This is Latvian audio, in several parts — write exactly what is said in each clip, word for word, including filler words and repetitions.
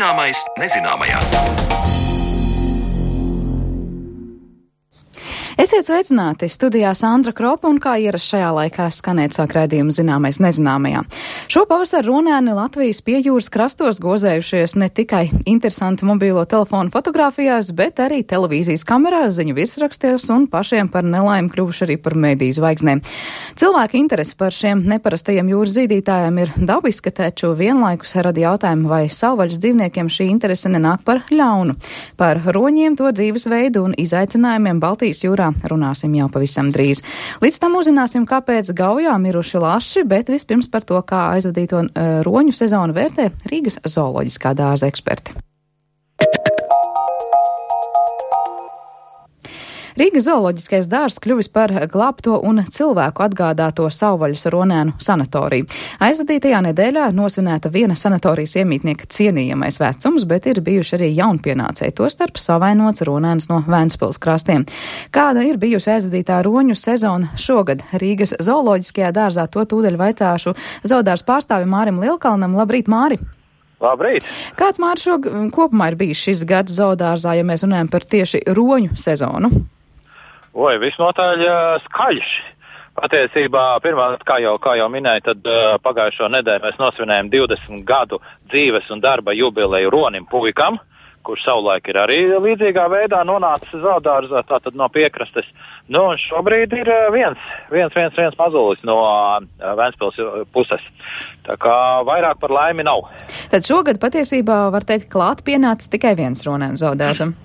Zināmais nezināmajā. Esiet sveicināti! Studijā Sandra Kropa un kā ierasts šajā laikā skanēt sāk raidījumu Zināmais nezināmajā. Šo pavasaru runēni Latvijas piejūras krastos gozējušies ne tikai interesanti mobīlo telefonu fotografijās, bet arī televīzijas kamerās, ziņu virsrakstos un pašiem par nelaimi kļuvuši arī par mediju zvaigznēm. Cilvēka interese par šiem neparastajiem jūras zīdītājiem ir dabiska, taču vienlaikus rada jautājumu, vai savvaļas dzīvniekiem šī interese nenāk par ļaunu. Par roņiem, to dzīvesveidu un izaicinājumiem Baltijas jūrā runāsim jau pavisam drīz. Līdz tam uzzināsim, kāpēc Gaujā miruši laši, bet vispirms par to, kā aizvadīto uh, roņu sezonu vērtē Rīgas zooloģiskā dārza eksperti. Rīgas zooloģiskais dārzs kļuvis par glābto un cilvēku atgādāto savvaļas ronēnu sanatoriju. Aizvadītajā nedēļā nosvinēta viena sanatorijas iemītnieka cienījamais vecums, bet ir bijuši arī jaunpienācēji, tostarp savainots ronēns no Ventspils krastiem. Kāda ir bijusi aizvadītā roņu sezona šogad Rīgas zooloģiskajā dārzā, to tūdaļ vaicāšu zoodārza pārstāvim Mārim Lielkalnam. Labrīt, Māri! Labrīt! Kāds, Māri, šo kopumā ir bijis šis gads zoodārzā, ja mēs runājam par tieši roņu sezonu? Oi, visnotaļ uh, skaļš. Patiesībā, pirmā, kā jau, kā jau minēju, tad uh, pagājušo nedēļu mēs nosvinējam divdesmit gadu dzīves un darba jubileju Ronim Puikam, kurš savulaik ir arī līdzīgā veidā nonācis zoodārzā, tātad no piekrastes. Nu, un šobrīd ir uh, viens, viens, viens, viens mazulis no uh, Ventspils puses. Tā kā vairāk par laimi nav. Tad šogad patiesībā var teikt klāt pienācis tikai viens ronēns zoodārzam.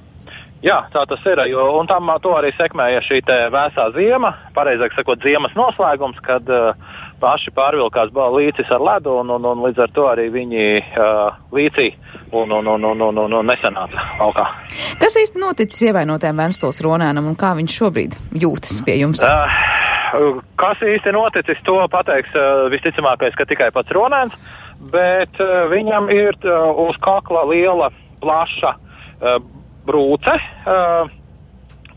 Jā, tā tas ir, jo, un tam to arī sekmēja šī te vēsā ziema, pareizāk sakot, ziemas noslēgums, kad uh, paši pārvilkās līcis ar ledu, un, un, un līdz ar to arī viņi uh, līcī un, un, un, un, un, un nesanāca laukā. Kas īsti noticis ievainotajam Ventspils ronēnam un kā viņš šobrīd jūtas pie jums? Uh, kas īsti noticis, to pateiks uh, visticamākais, ka tikai pats ronēns, bet uh, viņam ir uh, uz kakla liela, plaša uh, brūce,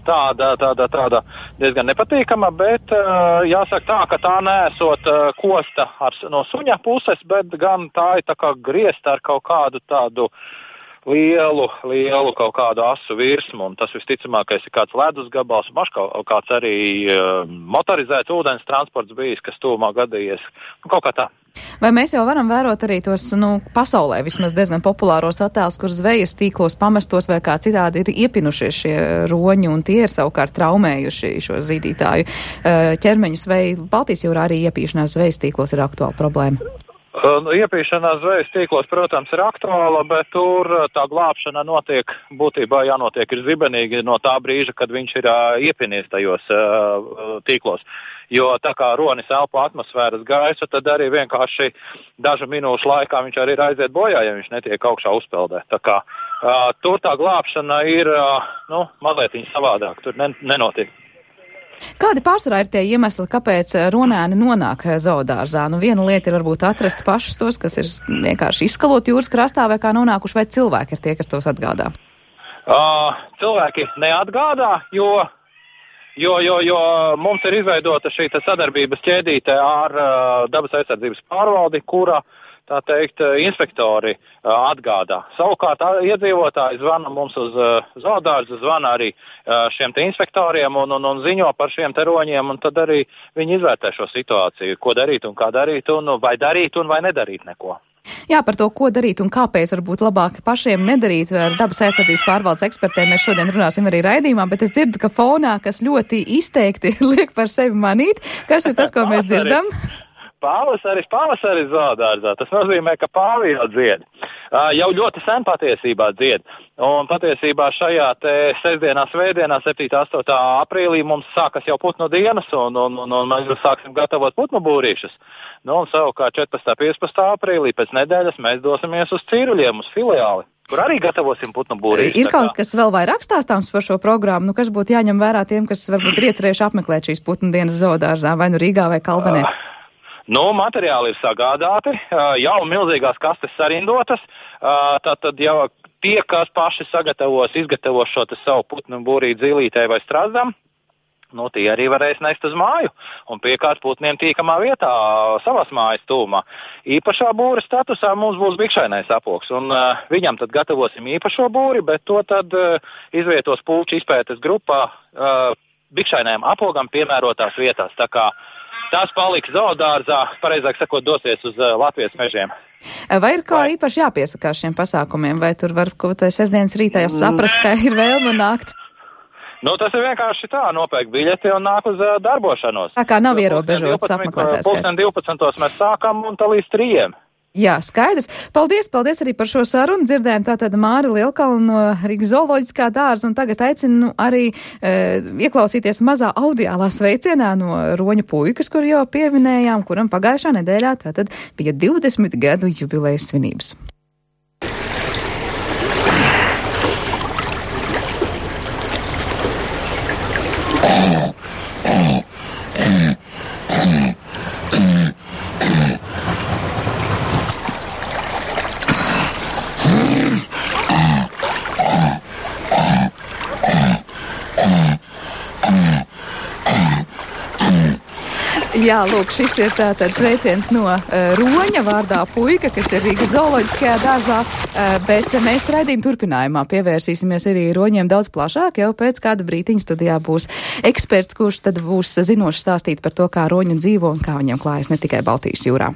tāda, tāda, tāda diezgan nepatīkama, bet jāsaka tā, ka tā neesot kosta ar, no suņa puses, bet gan tā ir tā kā griezta ar kaut kādu tādu lielu, lielu kaut kādu asu virsmu, un tas visticamākais ir kāds ledus gabals, maž kaut kāds arī motorizēts ūdens transports bijis, kas tūmā gadījies, nu, kaut kā tā. Vai mēs jau varam vērot arī tos, nu, pasaulē vismaz diezgan populāros attēlus, kur zvejas tīklos pamestos vai kā citādi ir iepinušies šie roņi, un tie ir savukārt traumējuši šo zīdītāju ķermeņus, vai Baltijas jūrā arī iepīšanās zvejas tīklos ir aktuāla problēma? Iepīšanās zvejas tīklos, protams, ir aktuāla, bet tur tā glābšana notiek, būtībā jānotiek ir zibenīgi no tā brīža, kad viņš ir uh, iepinies tajos uh, tīklos. Jo tā kā ronis elpo atmosfēras gaisu, tad arī vienkārši dažu minūšu laikā viņš arī ir aiziet bojā, ja viņš netiek augšā uzpeldē. Tā kā uh, tur tā glābšana ir, uh, nu, mazliet savādāk, tur nen- nenotiek. Kādi pārsvarā ir tie iemesli, kāpēc ronēni nonāk zoodārzā? Nu, viena lieta ir varbūt atrast pašus tos, kas ir vienkārši izskalot jūras krastā, vai kā nonākuši, vai cilvēki ir tie, kas tos atgādā? Uh, cilvēki neatgādā, jo, jo, jo, jo mums ir izveidota šī sadarbības ķēdīte ar uh, dabas aizsardzības pārvaldi, kura, tā teikt, inspektori uh, atgādā. Savukārt iedzīvotāji zvana mums uz uh, zoodārzu, zvana arī uh, šiem te inspektoriem un, un, un ziņo par šiem te roņiem, un tad arī viņi izvērtē šo situāciju, ko darīt un kā darīt, un vai darīt un vai nedarīt neko. Jā, par to, ko darīt un kāpēc varbūt labāk pašiem nedarīt ar dabas aizsardzības pārvaldes ekspertiem, mēs šodien runāsim arī raidījumā, bet es dzirdu, ka fonā, kas ļoti izteikti liek par sevi manīt, kas ir tas, ko mēs dzirdam? Pavasaris, pavasaris zoodārzā. Tas nozīmē, ka pāvi jau dzied. Uh, jau ļoti sen patiesībā dzied. Un patiesībā šajā te sestdienā, svētdienā, septītā astotā aprīlī mums sākas jau putnu dienas, un, un, un, un mēs sāksim gatavot putnu būrīšus. Nu, un savukārt četrpadsmitā, piecpadsmitā aprīlī pēc nedēļas mēs dosimies uz Cīruļiem, uz filiāli, kur arī gatavosim putnu būrīšus. Ir kaut kas vēl vairāk stāstāms par šo programmu, nu, kas būtu jāņem vērā tiem, kas varbūt ir iecerējuši apmeklēt šīs putnu dienas zoodārzā, vai nu Rīgā vai Kalvenē? Uh. Nu, materiāli ir sagādāti, jau milzīgās kastes sarindotas, tātad jau tie, kas paši sagatavos, izgatavos šo te savu putnu būrīt zīlītē vai strazdam, nu, tie arī varēs nest uz māju un piekārt putniem tīkamā vietā savas mājas tūmā. Īpašā būra statusā mums būs bikšainais apogs, un uh, viņam tad gatavosim īpašo būri, bet to tad uh, izvietos puču izpētes grupā uh, bikšainajam apogam piemērotās vietās. Tā kā tās paliks zoodārzā, pareizāk sakot, dosies uz uh, Latvijas mežiem. Vai ir kā vai... īpaši jāpiesakās šiem pasākumiem, vai tur var kaut vai sestdienas rītā jau saprast, ka ir vēlme nākt? Nu, tas ir vienkārši tā, nopērk biļeti un nāk uz uh, darbošanos. Tā kā nav ierobežots apmeklētājs skaits. Pulksten divpadsmitos mēs sākam un tā līdz trījiem. Jā, skaidrs. Paldies, paldies arī par šo sarunu. Dzirdējām tātad Māri Lielkalnu no Rīgas zooloģiskā dārza, un tagad aicinu arī e, ieklausīties mazā audiālā sveicienā no Roņa puikas, kur jau pieminējām, kuram pagājušā nedēļā tātad bija divdesmit gadu jubilejas svinības. Jā, lūk, šis ir tātad sveiciens no uh, Roņa vārdā puika, kas ir Rīgas zooloģiskajā dārzā, uh, bet mēs raidījuma turpinājumā pievērsīsimies arī Roņiem daudz plašāk, jau pēc kāda brītiņa studijā būs eksperts, kurš tad būs zinošs stāstīt par to, kā Roņi dzīvo un kā viņiem klājas ne tikai Baltijas jūrā.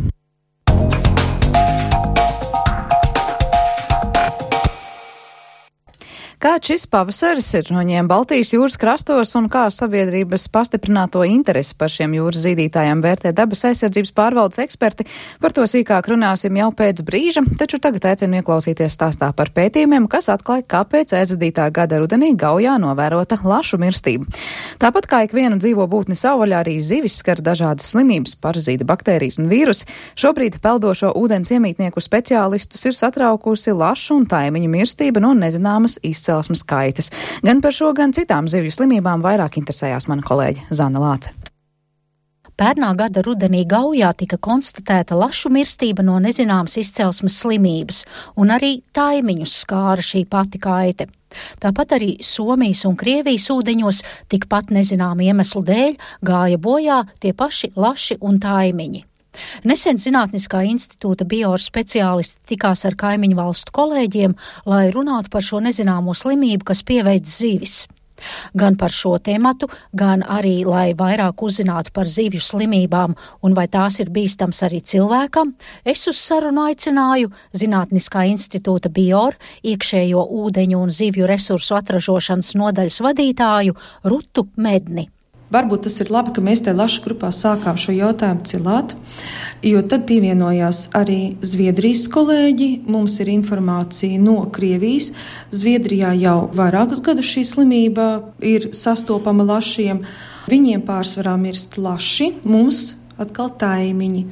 Kāds šis pavasaris ir Roņiem Baltijas jūras krastos un kā sabiedrības pastiprināto interesi par šiem jūras zīdītājiem vērtē dabas aizsardzības pārvaldes eksperti? Par to sīkāk runāsim jau pēc brīža, taču tagad aicinu ieklausīties stāstā par pētījumiem, kas atklāja, kāpēc aizvadītā gada rudenī Gaujā novērota lašu mirstība. Tāpat kā ikviena dzīvo būtni savvaļā, arī zivis skar dažādas slimības, parazīti, baktērijas un vīrusi. Šobrīd peldošo ūdens iemītnieku speciālistus ir satraukusi lašu un taimiņu mirstība no nezināmas izcelsmes. Celsmas kaitas. Gan par šo, gan citām zivju slimībām vairāk interesējās mana kolēģe Zana Lāce. Pērnā gada rudenī Gaujā tika konstatēta lašu mirstība no nezināmas izcelsmes slimības, un arī taimiņus skāra šī pati kaite. Tāpat arī Somijas un Krievijas ūdeņos tikpat nezināmu iemeslu dēļ gāja bojā tie paši laši un taimiņi. Nesen Zinātniskā institūta bioru speciālisti tikās ar kaimiņu valstu kolēģiem, lai runātu par šo nezināmo slimību, kas pieveic zivis. Gan par šo tematu, gan arī, lai vairāk uzzinātu par zivju slimībām un vai tās ir bīstams arī cilvēkam, es uz sarunu aicināju Zinātniskā institūta bioru, iekšējo ūdeņu un zivju resursu atražošanas nodaļas vadītāju Rutu Medni. Varbūt tas ir labi, ka mēs te lašu grupā sākām šo jautājumu cilāt, jo tad pievienojās arī Zviedrijas kolēģi. Mums ir informācija no Krievijas. Zviedrijā jau vairākus gadus šī slimība ir sastopama lašiem. Viņiem pārsvarā mirst laši, mums atkal taimiņi.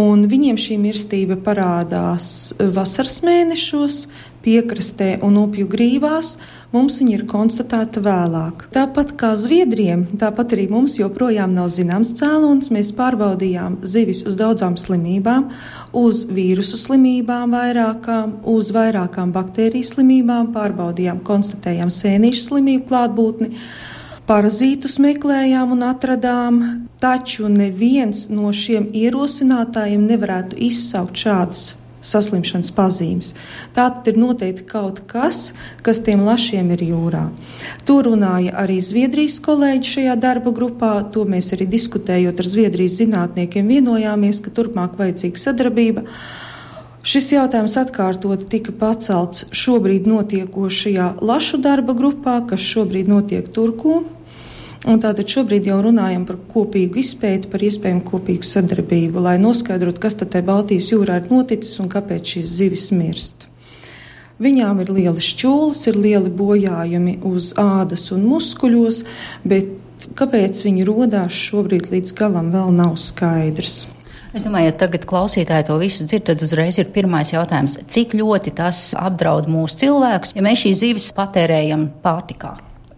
Un viņiem šī mirstība parādās vasaras mēnešos, piekrastē un upju grīvās. Mums viņa ir konstatēta vēlāk. Tāpat kā Zviedriem, tāpat arī mums joprojām nav zināms cēlonis. Mēs pārbaudījām zivis uz daudzām slimībām, uz vīrusu slimībām vairākām, uz vairākām baktēriju slimībām, pārbaudījām, konstatējām sēnīšu slimību klātbūtni, parazītus meklējām un atradām, taču neviens no šiem ierosinātājiem nevarētu izsaukt šādas saslimšanas pazīmes. Tātad ir noteikti kaut kas, kas tiem lašiem ir jūrā. To runāja arī Zviedrijas kolēģi šajā darba grupā, to mēs arī diskutējot ar Zviedrijas zinātniekiem vienojāmies, ka turpmāk vajadzīga sadarbība. Šis jautājums atkārtoti tika pacelts šobrīd notiekošajā lašu darba grupā, kas šobrīd notiek Turku. Un tātad šobrīd jau runājam par kopīgu izpēti, par iespējamu kopīgu sadarbību, lai noskaidrotu, kas tad te Baltijas jūrā ir noticis un kāpēc šīs zivis mirst. Viņām ir lieli šķūles, ir lieli bojājumi uz ādas un muskuļos, bet kāpēc viņi rodās šobrīd līdz galam vēl nav skaidrs. Es domāju, ja tagad klausītāji to visu dzird, tad uzreiz ir pirmais jautājums. Cik ļoti tas apdraud mūsu cilvēkus, ja mēs šīs zivis patērējam pārtikā?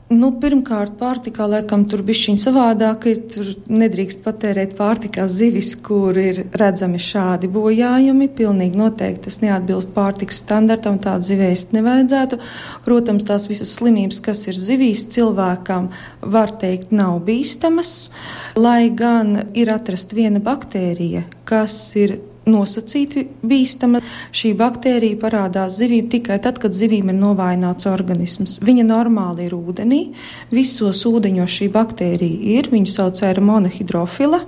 Nu, pirmkārt, pārtikā, laikam, tur bišķiņ savādāk ir, tur nedrīkst patērēt pārtikā zivis, kur ir redzami šādi bojājumi. Pilnīgi noteikti tas neatbilst pārtikas standartam, tādu zivēst nevajadzētu. Protams, tās visas slimības, kas ir zivīs, cilvēkam, var teikt, nav bīstamas, lai gan ir atrast viena baktērija, kas ir nosacīti bīstama. Šī baktērija parādās zivīm tikai tad, kad zivīm ir novājināts organisms. Viņa normāli ir ūdenī. Visos ūdeņos šī baktērija ir. Viņu sauc aeromonahidrofila.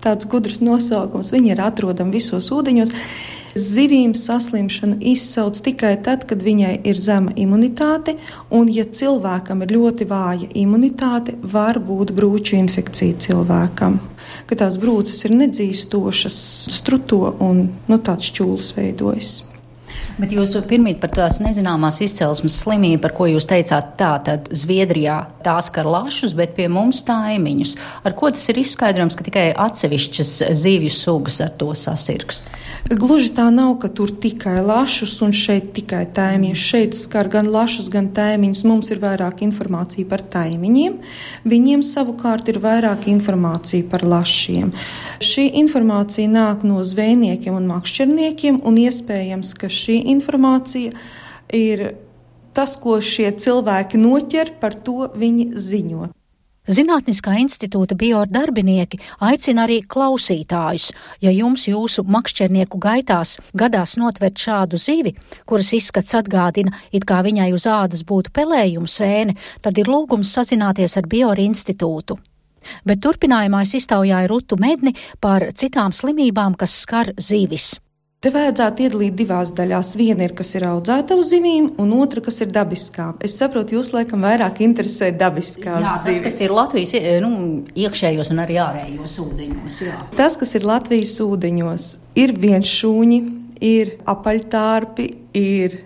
Tāds gudrs nosaukums. Viņa ir atrodama visos ūdeņos. Zivīm saslimšanu izsauc tikai tad, kad viņai ir zema imunitāte, un ja cilvēkam ir ļoti vāja imunitāte, var būt brūču infekcija cilvēkam. Ka tās brūces ir nedzīstošas, struto un nu, tāds šķūlis veidojas. Bet jūs pirmīt par tās nezināmās izcelsmes slimību, par ko jūs teicāt tā, tad Zviedrijā tās skar lašus, bet pie mums taimiņus. Ar ko tas ir izskaidrojams, ka tikai atsevišķas zivju sugas ar to sasirgst? Gluži tā nav, ka tur tikai lašus un šeit tikai taimiņus. Šeit skar gan lašus, gan taimiņus. Mums ir vairāk informācija par taimiņiem. Viņiem savukārt ir vairāk informācija par lašiem. Šī informācija nāk no zvejniekiem un makšķerniekiem, un iespējams, ka šī informācija ir tas, ko šie cilvēki noķer, par to viņi ziņo. Zinātniskā institūta biodarbinieki aicina arī klausītājus, ja jums jūsu makšķernieku gaitās gadās notvert šādu zivi, kuras izskats atgādina, it kā viņai uz ādas būtu pelējuma sēne, tad ir lūgums sazināties ar Bioru institūtu. Bet turpinājumā es iztaujāju Rutu Medni par citām slimībām, kas skar zivis. Te vajadzētu iedalīt divās daļās. Viena ir, kas ir audzēta uz zivīm, un otra, kas ir dabiskā. Es saprotu, jūs laikam vairāk interesē dabiskās jā, zivis. Jā, tas, kas ir Latvijas nu, iekšējos un arī ārējos ūdeņos. Jā. Tas, kas ir Latvijas ūdeņos, ir vienšūņi, ir apaļtārpi, ir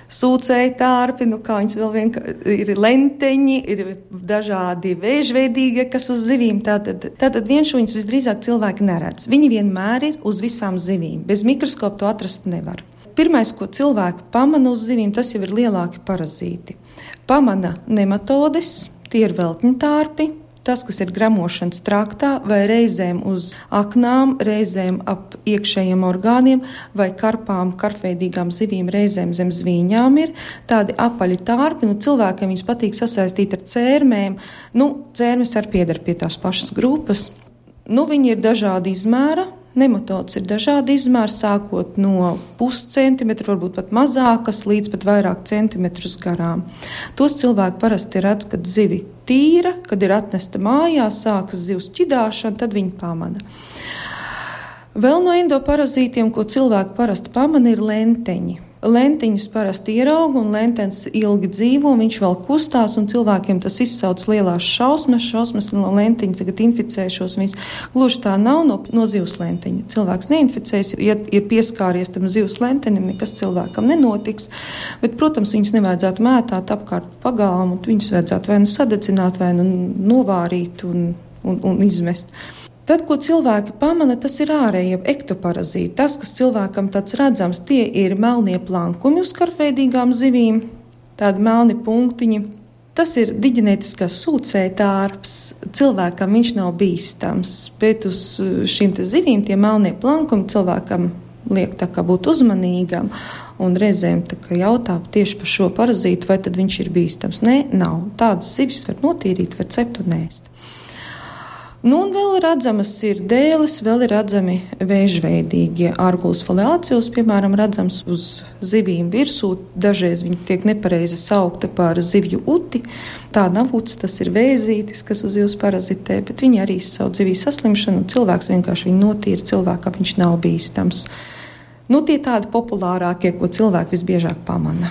sūcēji tārpi, nu kā viņas vēl vienkārši ir lenteņi, ir dažādi vēžveidīgie, kas uz zivīm. Tātad, tātad vienšūņus visdrīzāk cilvēki neredz. Viņi vienmēr ir uz visām zivīm. Bez mikroskopa to atrast nevar. Pirmais, ko cilvēki pamana uz zivīm, tas jau ir lielāki parazīti. Pamana nematodes, tie ir veltņtārpi, tas, kas ir gramošanas traktā, vai reizēm uz aknām, reizēm ap iekšējiem orgāniem, vai karpām, karpveidīgām zivīm, reizēm zem zvīņām ir tādi apaļi tārpi. Nu, cilvēkiem viņus patīk sasaistīt ar cērmēm. Nu, cērmes arī pieder pie tās pašas grupas. Nu, viņi ir dažādi izmēra. Nematodes ir dažādi izmēri, sākot no puscentimetra, varbūt pat mazākas, līdz pat vairāk centimetrus garām. Tos cilvēki parasti redz, kad zivi tīra, kad ir atnesta mājās, sākas zivs ķidāšana, tad viņi pamana. Vēl no endoparazītiem, ko cilvēki parasti pamana, ir lenteņi. Lentiņus parasti ierauga, un lentens ilgi dzīvo, viņš vēl kustās, un cilvēkiem tas izsauc lielās šausmas, šausmas no lentiņa tagad inficēšos. Gluži tā nav no, no zivs lentiņa. Cilvēks neinficēs, ja ir pieskāries tam zivs lentenim, nekas cilvēkam nenotiks, bet, protams, viņus nevajadzētu mētāt apkārt pagalmu, viņus vajadzētu vai nu sadedzināt, vai nu novārīt un, un, un izmest. Tad, ko cilvēki pamana, tas ir ārējie ektoparazīti. Tas, kas cilvēkam tāds redzams, tie ir melnie plankumi uz karpveidīgām zivīm, tādi melni punktiņi. Tas ir diģenētiskās sūcēja tārps. Cilvēkam viņš nav bīstams, bet uz šīm te zivīm tie melnie plankumi cilvēkam liek tā kā būt uzmanīgam. Un reizēm tā kā jautā tieši par šo parazītu, vai tad viņš ir bīstams. Nē, nav. Tādas zivis var notīrīt, var cept un ēst. Nu, un vēl redzamas ir dēles, vēl ir redzami vēžveidīgie ārgulas foliācijos, piemēram, redzams uz zivīm virsū. Dažreiz viņi tiek nepareizi saukta par zivju uti. Tā nav uts, tas ir vēzītis, kas uz zivs parazitē, bet viņi arī izsauc zivīs saslimšanu, un cilvēks vienkārši viņu notīra, cilvēkam viņš nav bīstams. Nu, tie tādi populārākie, ko cilvēki visbiežāk pamana.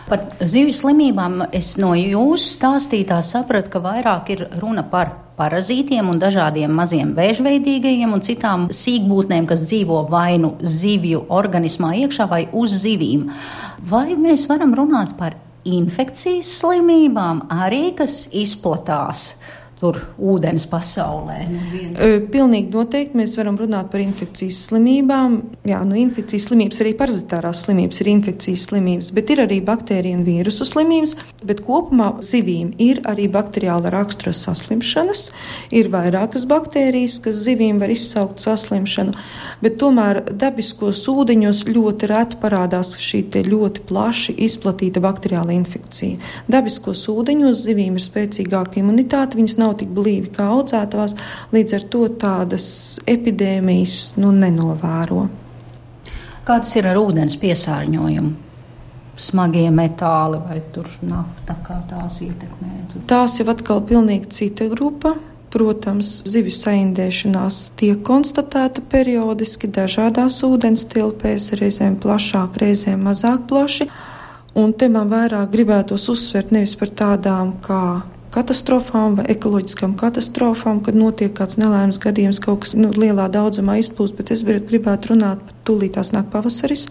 Par zivju slimībām es no jūsu stāstītā sapratu, ka vairāk ir runa par parazītiem un dažādiem maziem vēžveidīgajiem un citām sīkbūtnēm, kas dzīvo vai nu zivju organismā iekšā vai uz zivīm. Vai mēs varam runāt par infekcijas slimībām arī, kas izplatās tur ūdens pasaulē. Pilnīgi noteikti mēs varam runāt par infekcijas slimībām. Jā, nu infekcijas slimības, arī parazitārās slimības ir infekcijas slimības, bet ir arī baktēriju un vīrusu slimības, bet kopumā zivīm ir arī bakteriāla rakstura saslimšanas, ir vairākas baktērijas, kas zivīm var izsaukt saslimšanu, bet tomēr dabiskos ūdeņos ļoti reti parādās šī te ļoti plaši izplatīta bakteriāla infekcija. Dabiskos ūdeņos zivīm ir spēcīgāka imunitāte, viņas nav tik blīvi kā audzētavās, līdz ar to tādas epidēmijas nu, nenovēro. Kā tas ir ar ūdens piesārņojumu? Smagie metāli vai tur nafta, kā tās ietekmē? Tās jau atkal pilnīgi cita grupa. Protams, zivju saindēšanās tiek konstatēta periodiski dažādās ūdens tilpēs, reizēm plašāk, reizēm mazāk plaši. Un te man vairāk gribētos uzsvert nevis par tādām kā katastrofām vai ekoloģiskām katastrofām, kad notiek kāds nelaimes gadījums, kaut kas nu, lielā daudzumā izplūst, bet es gribētu runāt par tūlīt tās nāk pavasaris.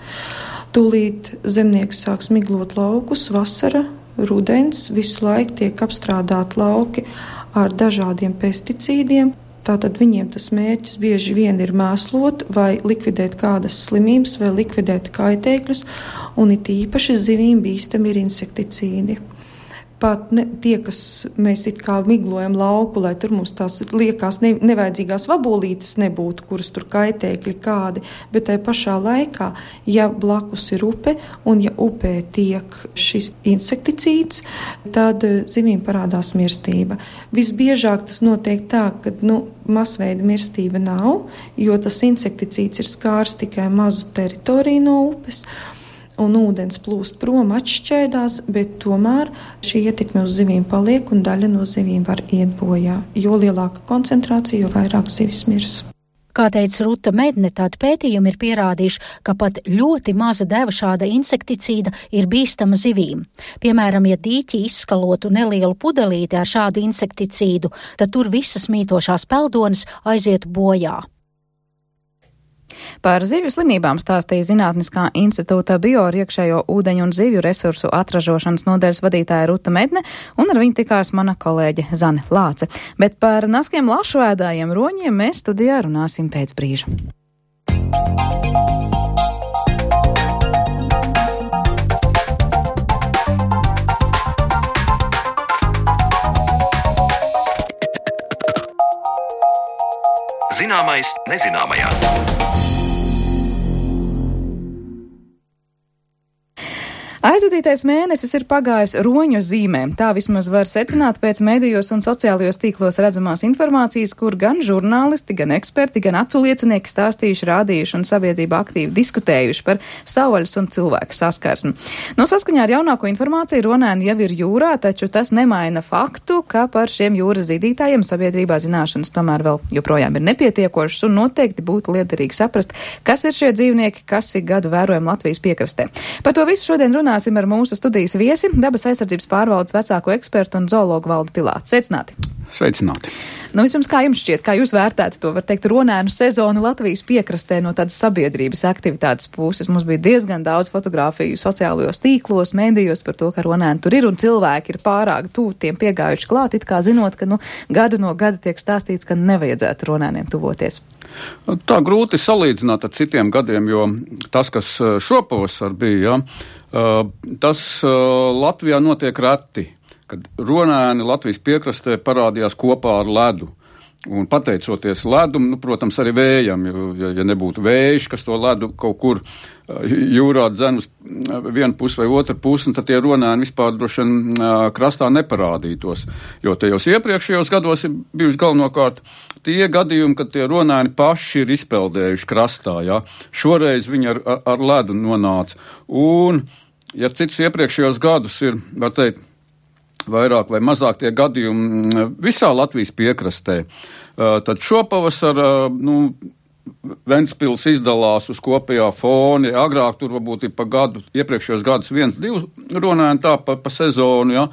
Tūlīt zemnieks sāks miglot laukus, vasara, rudens, visu laiku tiek apstrādāti lauki ar dažādiem pesticīdiem. Tātad viņiem tas mērķis bieži vien ir mēslot vai likvidēt kādas slimības vai likvidēt kaitēkļus, un it īpaši zivīm bīstami ir insekticīdi. Pat ne, tie, kas mēs it kā miglojam lauku, lai tur mums tās liekas ne, nevajadzīgās vabolītes nebūtu, kuras tur kaitēkļi kādi, bet tai pašā laikā, ja blakus ir upe un ja upē tiek šis insekticīds, tad zivīm parādās mirstība. Visbiežāk tas notiek tā, ka nu, masveida mirstība nav, jo tas insekticīds ir skārs tikai mazu teritoriju no upes, un ūdens plūst prom, atšķēdās, bet tomēr šī ietekme uz zivīm paliek un daļa no zivīm var iet bojā. Jo lielāka koncentrācija, jo vairāk zivis mirs. Kā teica Ruta Medne, tādi pētījumi ir pierādījuši, ka pat ļoti maza deva šāda insekticīda ir bīstama zivīm. Piemēram, ja dīķi izskalotu nelielu pudelīti ar šādu insekticīdu, tad tur visas mītošās peldones aizietu bojā. Par zivju slimībām stāstīja Zinātniskā institūta bioiekšējo ūdeņu un zivju resursu atražošanas nodaļas vadītāja Ruta Medne, un ar viņu tikās mana kolēģe Zane Lāce. Bet par naskiem lašuēdājiem roņiem mēs studijā runāsim pēc brīža. Zināmais nezināmajā. Aizvadītais mēnesis ir pagājis roņu zīmēm. Tā vismaz var secināt pēc medijos un sociālajos tīklos redzamās informācijas, kur gan žurnālisti, gan eksperti, gan acu liecinieki stāstījuši, rādījuši un sabiedrība aktīvi diskutējuši par savvaļas un cilvēku saskarsmi. No saskaņā ar jaunāko informāciju ronēni jau ir jūrā, taču tas nemaina faktu, ka par šiem jūras zīdītājiem sabiedrībā zināšanas tomēr vēl joprojām ir nepietiekošas un noteikti būtu liederīgi saprast, kas ir šie dzīvnieki, kas ik gadu vērojam Latvijas piekrastē. Par to visu šodien runā ar mūsu studijas viesi, dabas aizsardzības pārvaldes vecāko ekspertu un zoologu Valdi Pilātu. Sveicināti! Sveicināti! Nu, vispirms, kā jums šķiet, kā jūs vērtētu to, var teikt, ronēnu sezonu Latvijas piekrastē no tādas sabiedrības aktivitātes puses? Mums bija diezgan daudz fotografiju sociālajos tīklos, mēdījos par to, ka ronēni tur ir un cilvēki ir pārāk tuvu tiem piegājuši klāt, it kā zinot, ka nu, gadu no gada tiek stāstīts, ka nevajadzētu ronēniem tuvoties. Tā grūti salīdzināt ar citiem gadiem, jo tas, kas šopavasar bija, ja, tas Latvijā notiek reti, kad ronēni Latvijas piekrastē parādījās kopā ar ledu. Un pateicoties ledum, nu, protams, arī vējam, jo, ja, ja nebūtu vējš, kas to ledu kaut kur jūrā dzen uz vienu pusi vai otru pusi, tad tie ronēni vispār droši vien krastā neparādītos. Jo tajos iepriekšējos gados ir bijuši galvenokārt tie gadījumi, kad tie ronēni paši ir izpeldējuši krastā. Ja? Šoreiz viņi ar, ar, ar ledu nonāca. Un, ja citus iepriekšējos gadus ir, var teikt, vairāk vai mazāk tie gadījumi visā Latvijas piekrastē, tad šopavasar, nu, Ventspils izdalās uz kopējā foni. Agrāk tur varbūt ir pa gadu, iepriekšējos gadus viens, divi ronēni tā pa, pa sezonu, ja.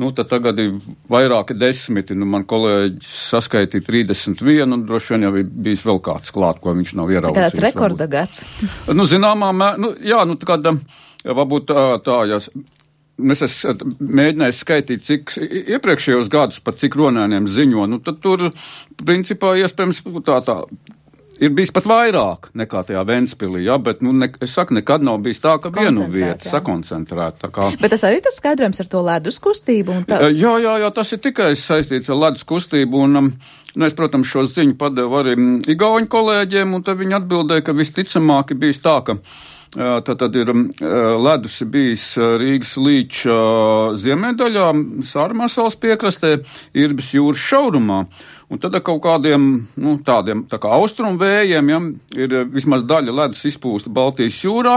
Nu, tad tagad ir vairāki desmiti. Nu, man kolēģis saskaitīja trīsdesmit vienu, un droši vien jau ir bijis vēl kāds klāt, ko viņš nav ieraudzījis. Kāds rekorda gads? Nu, zināmā mē, nu, jā, nu, kāda, varbūt tā, tā, jā. es esmu mēģinājis skaitīt, cik iepriekšējos gadus pat cik Ronēniem ziņo, nu tad tur, principā, iespējams, tā tā. Ir bijis pat vairāk nekā tajā Ventspilī, ja, bet, nu, ne, es saku, nekad nav bijis tā, ka vienu vietu sakoncentrēt. Kā... Bet tas arī tas skaidrojums ar to ledus kustību? Un tā... Jā, jā, jā, tas ir tikai saistīts ar ledus kustību, un, nu, es, protams, šo ziņu padevu arī igauņu kolēģiem, un tad viņi atbildēja, ka visticamāk ir bijis tā, ka tad, tad ir ledus ir bijis Rīgas līča ziemeļdaļā, Sārmasals piekrastē, Irbes jūras šaurumā. Un tad ar kaut kādiem, nu, tādiem, tā kā austrumu vējiem, ja, ir vismaz daļa ledus izpūsta Baltijas jūrā,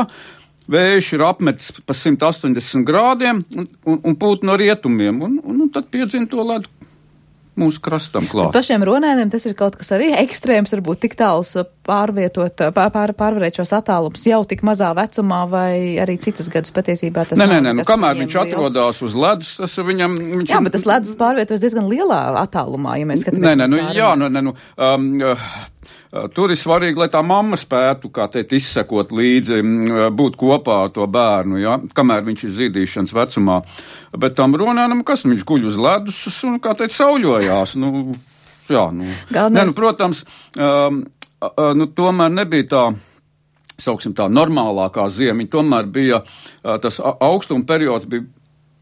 vējš ir apmetis pa simt astoņdesmit grādiem un, un, un pūt no rietumiem, un, un, un tad piedzina to ledu mūsu krastam klāt. Pašiem Ronēniem tas ir kaut kas arī ekstrēms, varbūt tik tāls pārvietot, pār, pār, pārvarēt šos attālumus jau tik mazā vecumā, vai arī citus gadus patiesībā tas nē, nav. Nē, nē, nu, kamēr viņš liels... atrodās uz ledus, tas viņam... Viņš... Jā, bet tas ledus pārvietojas diezgan lielā attālumā, ja mēs skatāmies. Nē, nē, nu, jā, nu, nē, nu, um, uh, tur ir svarīgi, lai tā mamma spētu, kā teikt, izsekot līdzi, būt kopā ar to bērnu, ja, kamēr viņš ir zīdīšanas vecumā. Bet tam Ronēnam, kas viņš guļ uz ledus un, kā teikt, sauļojās. Nu, jā, nu. Galvenais... Nē, nu, protams, um, uh, nu, tomēr nebija tā, sauksim tā, normālākā ziemiņa. Tomēr bija uh, tas augstuma periods bija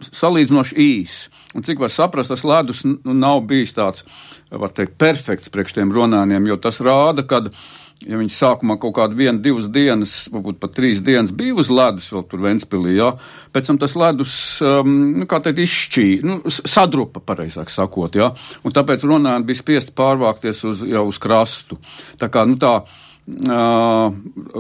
salīdzinoši īs. Un cik var saprast, tas ledus nu, nav bijis tāds, var teikt, perfekts priekš tiem Ronēniem, jo tas rāda, kad ja viņi sākumā kaut kādu vienu, divas dienas, varbūt pat trīs dienas bija uz ledus vēl tur Ventspilī, jā, pēc tam tas ledus, um, nu, kā teikt, izšķīja, nu, sadrupa, pareizāk sakot, jā, un tāpēc Ronēni bija spiesti pārvākties uz, jau uz krastu. Tā kā, nu, tā, uh,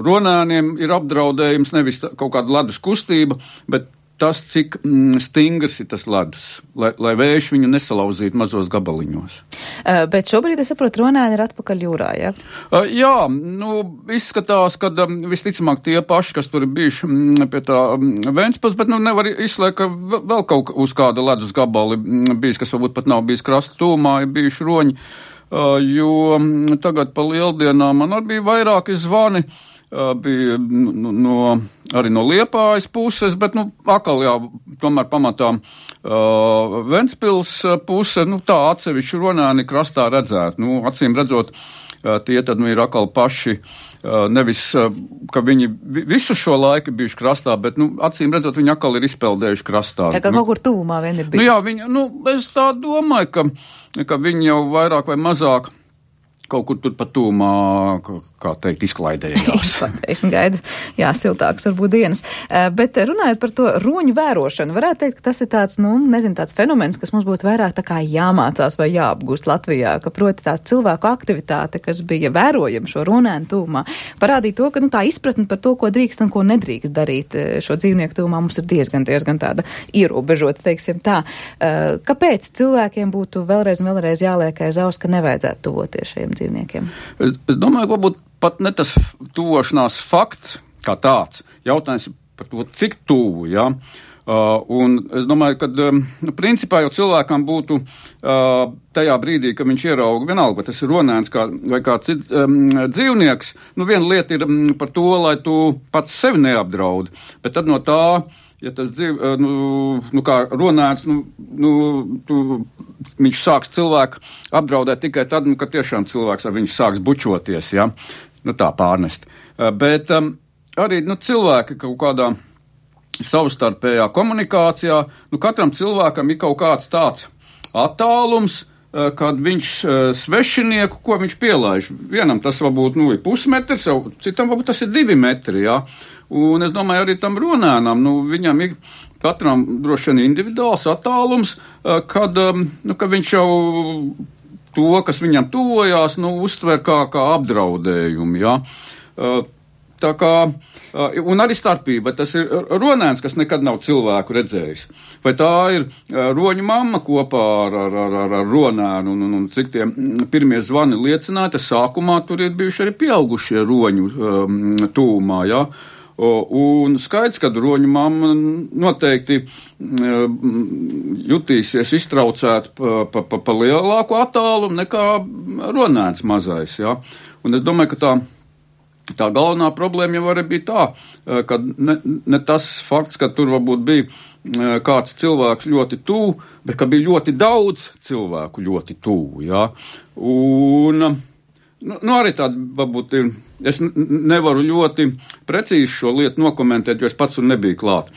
Ronēniem ir apdraudējums nevis tā, kaut kāda ledus kustība, bet tas, cik mm, stingrs ir tas ledus, lai, lai vējš viņu nesalauzītu mazos gabaliņos. Uh, bet šobrīd, es saprotu, Ronēni ir atpakaļ jūrā, ja? Uh, jā, nu, izskatās, ka um, visticamāk tie paši, kas tur ir bijuši mm, pie tā um, Ventspils, bet nu nevar izslēgt, ka vēl kaut uz kāda ledus gabali mm, bijis, kas varbūt pat nav bijis krasta tūmā, ir bijuši roņi, uh, jo mm, tagad pa lieldienām man arī bija vairāki zvani, bija no, no, arī no Liepājas puses, bet, nu, akal, jā, tomēr pamatā uh, Ventspils puse, nu, tā atsevišķi Ronēni krastā redzēt. Nu, acīm redzot, uh, tie tad, nu, ir akal paši, uh, nevis, uh, ka viņi visu šo laiku bijuši krastā, bet, nu, acīm redzot, viņi akal ir izpeldējuši krastā. Tā kā nu, kaut kur tūmā vien ir bijuši. Nu, jā, viņi, nu, es tā domāju, ka, ka viņi jau vairāk vai mazāk kaut kur tur pat tūmā, kā teikt, izklaidējās. Es gaidu, jā, siltāks varbūt dienas. Bet runājot par to roņu vērošanu, varētu teikt, ka tas ir tāds, nu, nezinu, tāds fenomens, kas mums būtu vairāk tā kā jāmācās vai jāapgūst Latvijā, ka proti tā cilvēku aktivitāte, kas bija vērojama šo Ronēnu tūmā, parādīja to, ka, nu, tā izpratne par to, ko drīkst un ko nedrīkst darīt šo dzīvnieku tūmā, mums ir diezgan, diezgan tāda ierobežota, teiksim tā. Kāpēc cilvēkiem būtu vēlreiz un vēlreiz jāliek aiz auss, ka nevajadzētu tuvoties šiem dzīvniekiem? Es, es domāju, ka varbūt pat ne tas tuvošanās fakts kā tāds. Jautājums par to, cik tuvu, jā. Uh, un es domāju, ka um, principā jau cilvēkam būtu uh, tajā brīdī, kad viņš ierauga vienalga, vai tas ir Ronēns kā, vai kāds cits um, dzīvnieks, nu viena lieta ir um, par to, lai tu pats sevi neapdraudi, bet tad no tā, ja tas dzīv, nu, nu kā Ronēns, nu, nu, tu, viņš sāks cilvēku apdraudēt tikai tad, nu, kad tiešām cilvēks ar viņu sāks bučoties, ja, nu tā pārnest. Bet um, arī, nu, cilvēki kaut kādā savstarpējā komunikācijā, nu, katram cilvēkam ir kaut kāds tāds attālums, kad viņš svešinieku, ko viņš pielaiž. Vienam tas varbūt, nu, ir pusmetrs, citam varbūt tas ir divi metri, jā. Un es domāju, arī tam Ronēnam, nu, viņam ir katram droši vien individuāls attālums, kad, nu, kad viņš jau to, kas viņam tuvojās, nu, uztver kā, kā apdraudējumu, jā. Tā kā, un arī starpība, tas ir Ronēns, kas nekad nav cilvēku redzējis. Vai tā ir roņu mamma kopā ar, ar, ar, ar Ronēnu, un, un, un cik tie pirmie zvani liecināja, sākumā tur ir bijuši arī pieaugušie roņu um, tūmā, jā. Un skaidrs, ka roņu mamma noteikti jutīsies iztraucēt pa, pa, pa, pa lielāku attālumu nekā Ronēns mazais, jā. Un es domāju, ka tā Tā galvenā problēma jau arī bija tā, ka ne, ne tas fakts, ka tur varbūt bija kāds cilvēks ļoti tuvu, bet ka bija ļoti daudz cilvēku ļoti tuvu. Ja? Un, nu, nu arī tāda, varbūt, ir, es nevaru ļoti precīzi šo lietu nokomentēt, jo es pats tur nebiju klāt.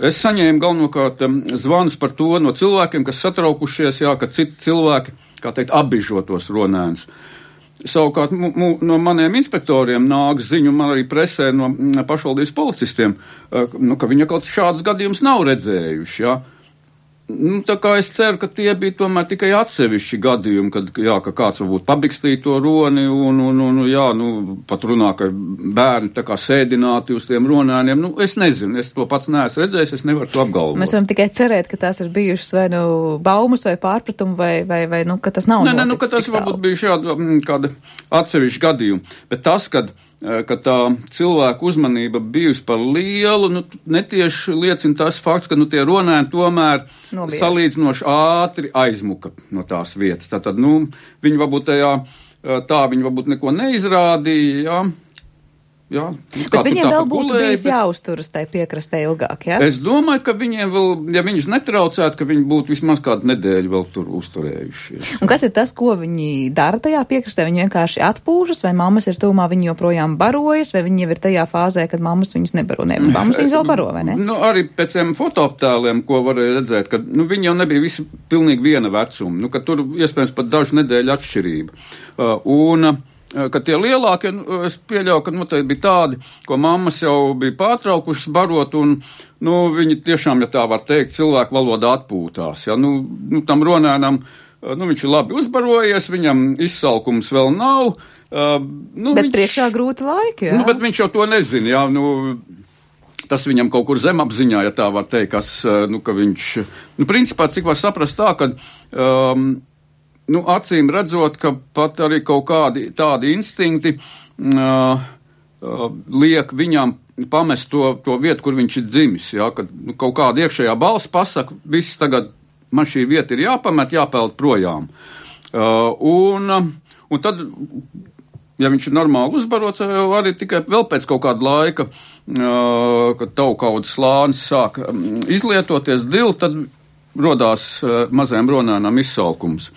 Es saņēmu galvenokārt zvanus par to no cilvēkiem, kas satraukušies, jā, ka citi cilvēki, kā teikt, apbižotos ronēnus. Savukārt m, m, no maniem inspektoriem nāk ziņu, man arī presē no pašvaldības policistiem, nu, ka viņi kaut šādus gadījumus nav redzējuši. Ja? Nu, tā kā es ceru, ka tie bija tomēr tikai atsevišķi gadījumi, kad jā, ka kāds varbūt pabikstīja to roni un, un, un jā, nu, pat runā, ka bērni tā kā sēdināti uz tiem ronēniem. Nu, es nezinu, es to pats neesmu redzējis, es nevaru to apgalvot. Mēs varam tikai cerēt, ka tās ir bijušas vai nu baumas vai pārpratumi vai, vai, vai nu, ka tas nav noticis. Nē, nē, nu, ka tas varbūt bija šāda kāda atsevišķa gadījuma. Bet tas, kad ka tā cilvēku uzmanība bijusi par lielu, nu, netieši liecina tas fakts, ka nu, tie ronēni tomēr Nobies. salīdzinoši ātri aizmuka no tās vietas. Tātad, nu, viņi varbūt tajā, tā viņi varbūt neko neizrādīja, jā. Jā, bet viņiem vēl būtu gulēja, bijis bet... jāuzturas tai piekrastē ilgāk, jā? Es domāju, ka viņiem vēl, ja viņus netraucētu, ka viņi būtu vismaz kādu nedēļu vēl tur uzturējušies. Un kas ir tas, ko viņi dara tajā piekrastē? Viņi vienkārši atpūšas, vai mammas ir tūmā, viņi joprojām barojas, vai viņi jau ir tajā fāzē, kad mammas viņus nebaro? Ne, mammas viņus vēl baro, vai ne? Nu, arī pēc tiem fotoaptēliem, ko varēja redzēt, ka nu, viņi jau nebija visi pilnīgi viena vecuma, nu, ka tur iespējams pat dažu nedēļu atšķirība. Uh, un, ka tie lielākie, es pieļauju, ka noteikti bija tādi, ko mammas jau bija pārtraukušas barot, un nu, viņi tiešām, ja tā var teikt, cilvēku valodā atpūtās. Ja? Nu, nu, tam ronēnam, nu, viņš ir labi uzbarojies, viņam izsalkums vēl nav. Uh, nu, bet viņš, priekšā grūti laiki, jā? Nu, bet viņš jau to nezina, jā, nu, tas viņam kaut kur zemapziņā, ja tā var teikt, kas, nu, ka viņš, nu, principā, cik var saprast tā, ka, um, nu, acīm redzot, ka pat arī kaut kādi tādi instinkti uh, uh, liek viņam pamest to, to vietu, kur viņš ir dzimis. Ja, kad nu, kaut kāda iekšējā balss pasaka, viss tagad man šī vieta ir jāpamet, jāpeld projām. Uh, un, un tad, ja viņš ir normāli uzbarots, arī tikai vēl pēc kaut kāda laika, uh, kad taukaudas slānis sāk um, izlietoties dili, tad rodās uh, mazajam ronēnam izsalkums.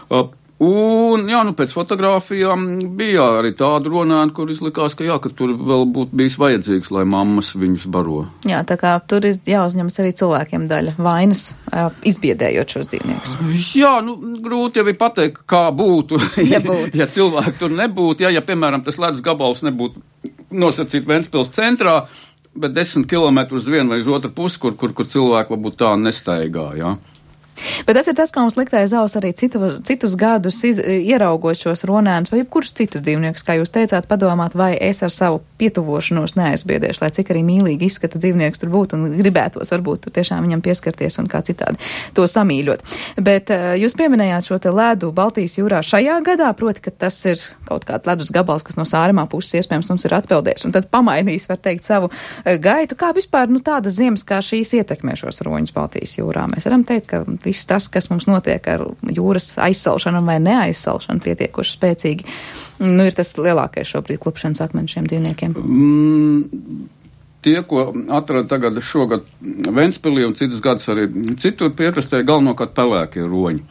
Uh, un, jā, nu, pēc fotogrāfijām bija arī tādu ronēnu, kur izlikās, ka jā, ka tur vēl būtu bijis vajadzīgs, lai mammas viņus baro. Jā, tā kā tur ir jāuzņemas arī cilvēkiem daļa vainas, izbiedējot šos dzīvniekus. Jā, nu, grūti jau ir pateikt, kā būtu, ja, būtu. ja cilvēki tur nebūtu, ja, ja, piemēram, tas ledus gabals nebūtu nosacīt Ventspils centrā, bet desmit kilometrus uz vienu vai uz otru pusi, kur, kur, kur cilvēki varbūt tā nestaigā, jā. Bet tas ir tas, kā mums liktēja zaus arī citu, citus gadus iz, ieraugot šos ronēnus vai jebkurus citus dzīvniekus, kā jūs teicāt, padomāt, vai es ar savu pietuvošanos neaizbiedēšu, lai cik arī mīlīgi izskata dzīvnieks tur būtu un gribētos varbūt tur tiešām viņam pieskarties un kā citādi to samīļot. Bet uh, jūs pieminējāt šo te ledu Baltijas jūrā šajā gadā, proti, ka tas ir kaut kāds ledus gabals, kas no Sāremā puses iespējams mums ir atpeldējis un tad pamainījis, var teikt, savu uh, gaitu. Kā vispār, nu, tādas ziemas kā šīs ietekmē šos roņus Baltijas jūrā? Mēs varam teikt, ka viss tas, kas mums notiek ar jūras aizsalšanu vai neaizsalšanu pietiekoši spēcīgi, nu, ir tas lielākais šobrīd klupšanas akmens šiem dzīvniekiem. Mm, tie, ko atrada tagad šogad Ventspilī un citus gadus arī citur piekrastē, galvenokārt pelēkie roņi.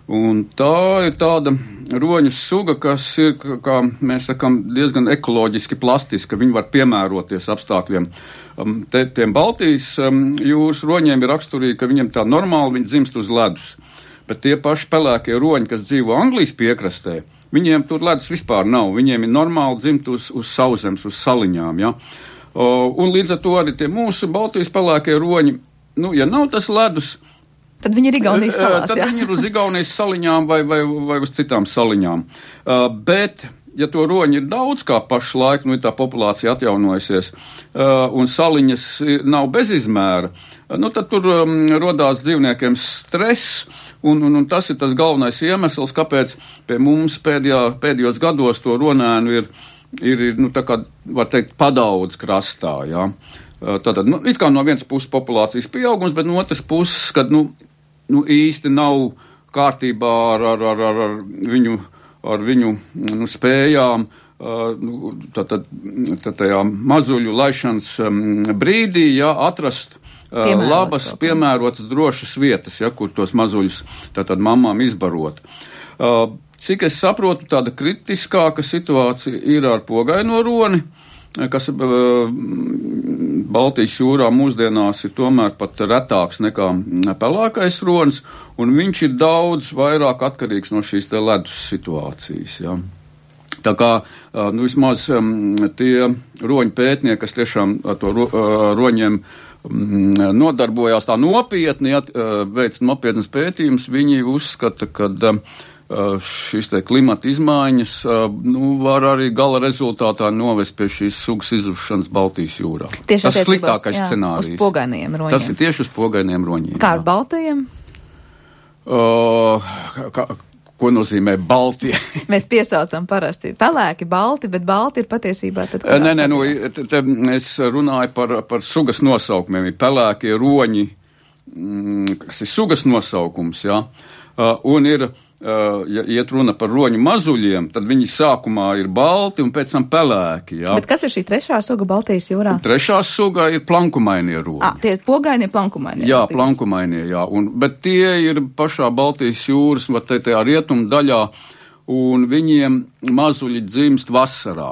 Un tā ir tāda roņu suga, kas ir, kā mēs sakam, diezgan ekoloģiski plastiska, viņi var piemēroties apstākļiem. Um, te, tiem Baltijas um, jūras roņiem ir raksturīgi, ka viņiem tā normāli viņi dzimst uz ledus. Bet tie paši pelēkie roņi, kas dzīvo Anglijas piekrastē, viņiem tur ledus vispār nav. Viņiem ir normāli dzimt uz, uz sauszemes, uz saliņām. Ja? Uh, un līdz ar to arī tie mūsu Baltijas pelēkie roņi, nu, ja nav tas ledus, tad viņi ir Igaunijas salās, tad jā. viņi ir uz Igaunijas saliņām vai, vai, vai uz citām saliņām. Uh, bet, ja to roņi ir daudz kā pašlaik, nu ir tā populācija atjaunojusies, uh, un saliņas nav bez izmēra, uh, nu tad tur um, rodās dzīvniekiem stress, un, un, un tas ir tas galvenais iemesls, kāpēc pie mums pēdējā, pēdējos gados to ronēnu ir, ir, ir nu tā kā, var teikt, padaudz krastā, jā. Uh, tātad, nu, it kā no vienas puses populācijas pieaugums, bet no otras puses, kad, nu, nu īsti nav kārtībā ar, ar, ar, ar, ar viņu, ar viņu nu, spējām, uh, nu, tad, tad, tad tajā mazuļu laišanas um, brīdī, jā, atrast, Piemērots labas, kaut. piemērotas, drošas vietas, ja, kur tos mazuļus tātad mamām izbarot. Cik es saprotu, tāda kritiskāka situācija ir ar pogaino roni, kas Baltijas jūrā mūsdienās ir tomēr pat retāks nekā pelēkais ronis, un viņš ir daudz vairāk atkarīgs no šīs te ledus situācijas. Ja. Tā kā nu, vismaz tie roņu pētnieki, kas tiešām ar to ro, roņiem nodarbojās tā nopietni, ja, veic nopietnas pētījumus, viņi uzskata, ka šīs te klimata izmaiņas nu, var arī gala rezultātā novest pie šīs sugas izušanas Baltijas jūrā. Tieši tas ir sliktākais jā, scenārijs. Uz pogainajiem roņiem. Tas ir tieši uz pogainajiem roņiem. Kā ar baltajiem? Uh, kā, ko nozīmē baltie? Mēs piesaucam parasti pelēki, balti, bet balti ir patiesībā tad... Nē, nē, nu, te, te es runāju par, par sugas nosaukumiem. Ir pelēkie roņi, kas ir sugas nosaukums, jā. Uh, un ir Uh, ja iet runa par roņu mazuļiem, tad viņi sākumā ir balti un pēc tam pelēki. Jā. Bet kas ir šī trešā suga Baltijas jūrā? Trešā suga ir plankumainie roņi. Ah, tie pogainie plankumainie. Jā, plankumainie, jā. Un, bet tie ir pašā Baltijas jūras, vai te tajā rietumu daļā, un viņiem mazuļi dzimst vasarā.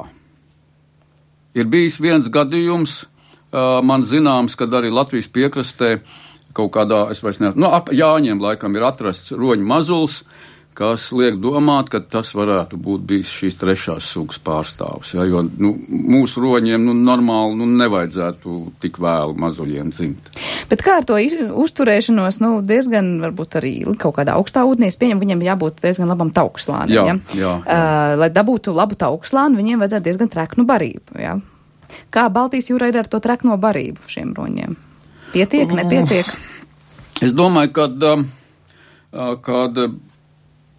Ir bijis viens gadījums, uh, man zināms, kad arī Latvijas piekrastē kaut kādā, es vairs nezinu, no ap Jāņiem laikam ir atrasts roņu mazuls, kas liek domāt, ka tas varētu būt bijis šīs trešās sugas pārstāvs. Ja, jo nu, mūsu roņiem nu, normāli nu, nevajadzētu tik vēlu mazuļiem dzimt. Bet kā ar to uzturēšanos, nu, diezgan varbūt arī kaut kādā augstā ūdenī, es pieņemu, viņam jābūt diezgan labam taukslānim. Jā, ja? jā, jā. Uh, lai dabūtu labu taukslānu, viņiem vajadzētu diezgan treknu barību. Ja? Kā Baltijas jūrā ir ar to trekno barību šiem roņiem? Pietiek, nepietiek? Es domāju, kad, kad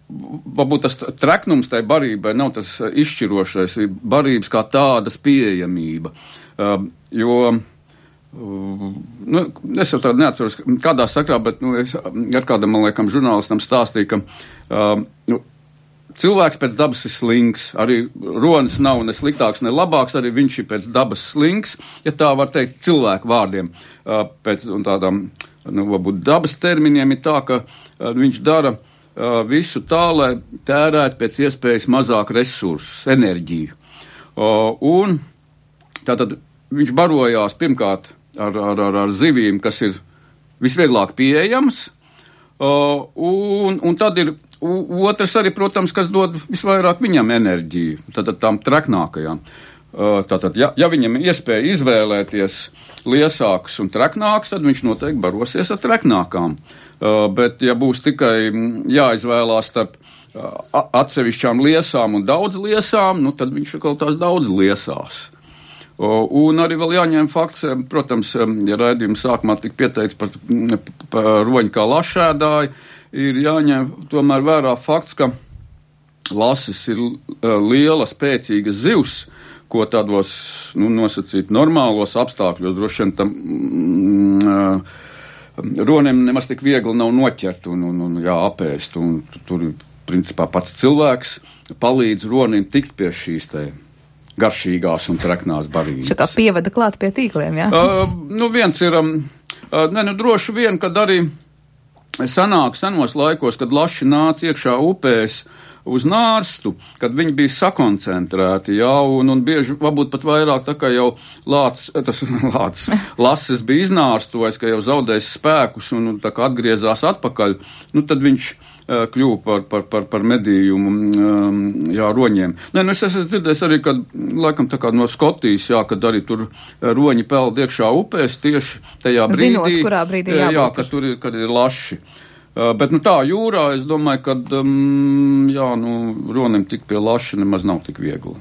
varbūt tas treknums tai barībai nav tas izšķirošais, ir barības kā tādas pieejamība. Jo, nu, es jau tādu neatceros, kādā sakrā, bet nu, es ar kādam, man liekam, žurnālistam stāstīju, ka nu, cilvēks pēc dabas ir slings, arī ronis nav ne sliktāks, ne labāks, arī viņš ir pēc dabas slings, ja tā var teikt cilvēku vārdiem. Pēc tādām, nu, varbūt dabas terminiem ir tā, ka viņš dara visu tā, lai tērētu pēc iespējas mazāk resursus, enerģiju. Un tātad viņš barojās pirmkārt ar, ar, ar, ar zivīm, kas ir visvieglāk pieejams, un, un tad ir otrs arī, protams, kas dod visvairāk viņam enerģiju, tātad tām treknākajām. Tātad, ja, ja viņam ir iespēja izvēlēties liesāks un treknāks, tad viņš noteikti barosies ar treknākām. Bet, ja būs tikai jāizvēlās starp atsevišķām liesām un daudz liesām, nu, tad viņš atkal tās daudz liesās. Un arī vēl jāņem fakts, protams, ja raidījuma sākumā tika pieteikts par, par roņu kā lašēdāju, ir jāņem tomēr vērā fakts, ka lasis ir liela, spēcīga zivs, ko tādos, nu, nosacīt normālos apstākļos, droši vien tam mm, ronim nemaz tik viegli nav noķert un, un, un jā, apēst, un tur, principā, pats cilvēks palīdz ronim tikt pie šīs te garšīgās un treknās barības. Tā kā pievada klāt pie tīkliem, jā? Uh, nu, viens ir, um, uh, ne, nu, droši vien, kad arī sanāk senos laikos, kad laši nāca iekšā upēs, uz nārstu, kad viņi bija sakoncentrēti, jā, un, un bieži, varbūt pat vairāk, tā kā jau lācis, tas lācis, lasis bija iznārstojis, ka jau zaudējis spēkus un, un tā kā atgriezās atpakaļ, nu tad viņš uh, kļuva par, par, par, par medījumu, um, jā, roņiem. Nē, nu es esmu dzirdējis arī, kad, laikam tā kā no Skotijas, jā, kad arī tur roņi peld iekšā upēs tieši tajā brīdī. Zinot, kurā brīdī jābūt. Jā, kad tur ir, kad ir laši. Uh, bet, nu tā, jūrā, es domāju, ka, um, jā, nu, ronim tik pie laša nemaz nav tik viegli.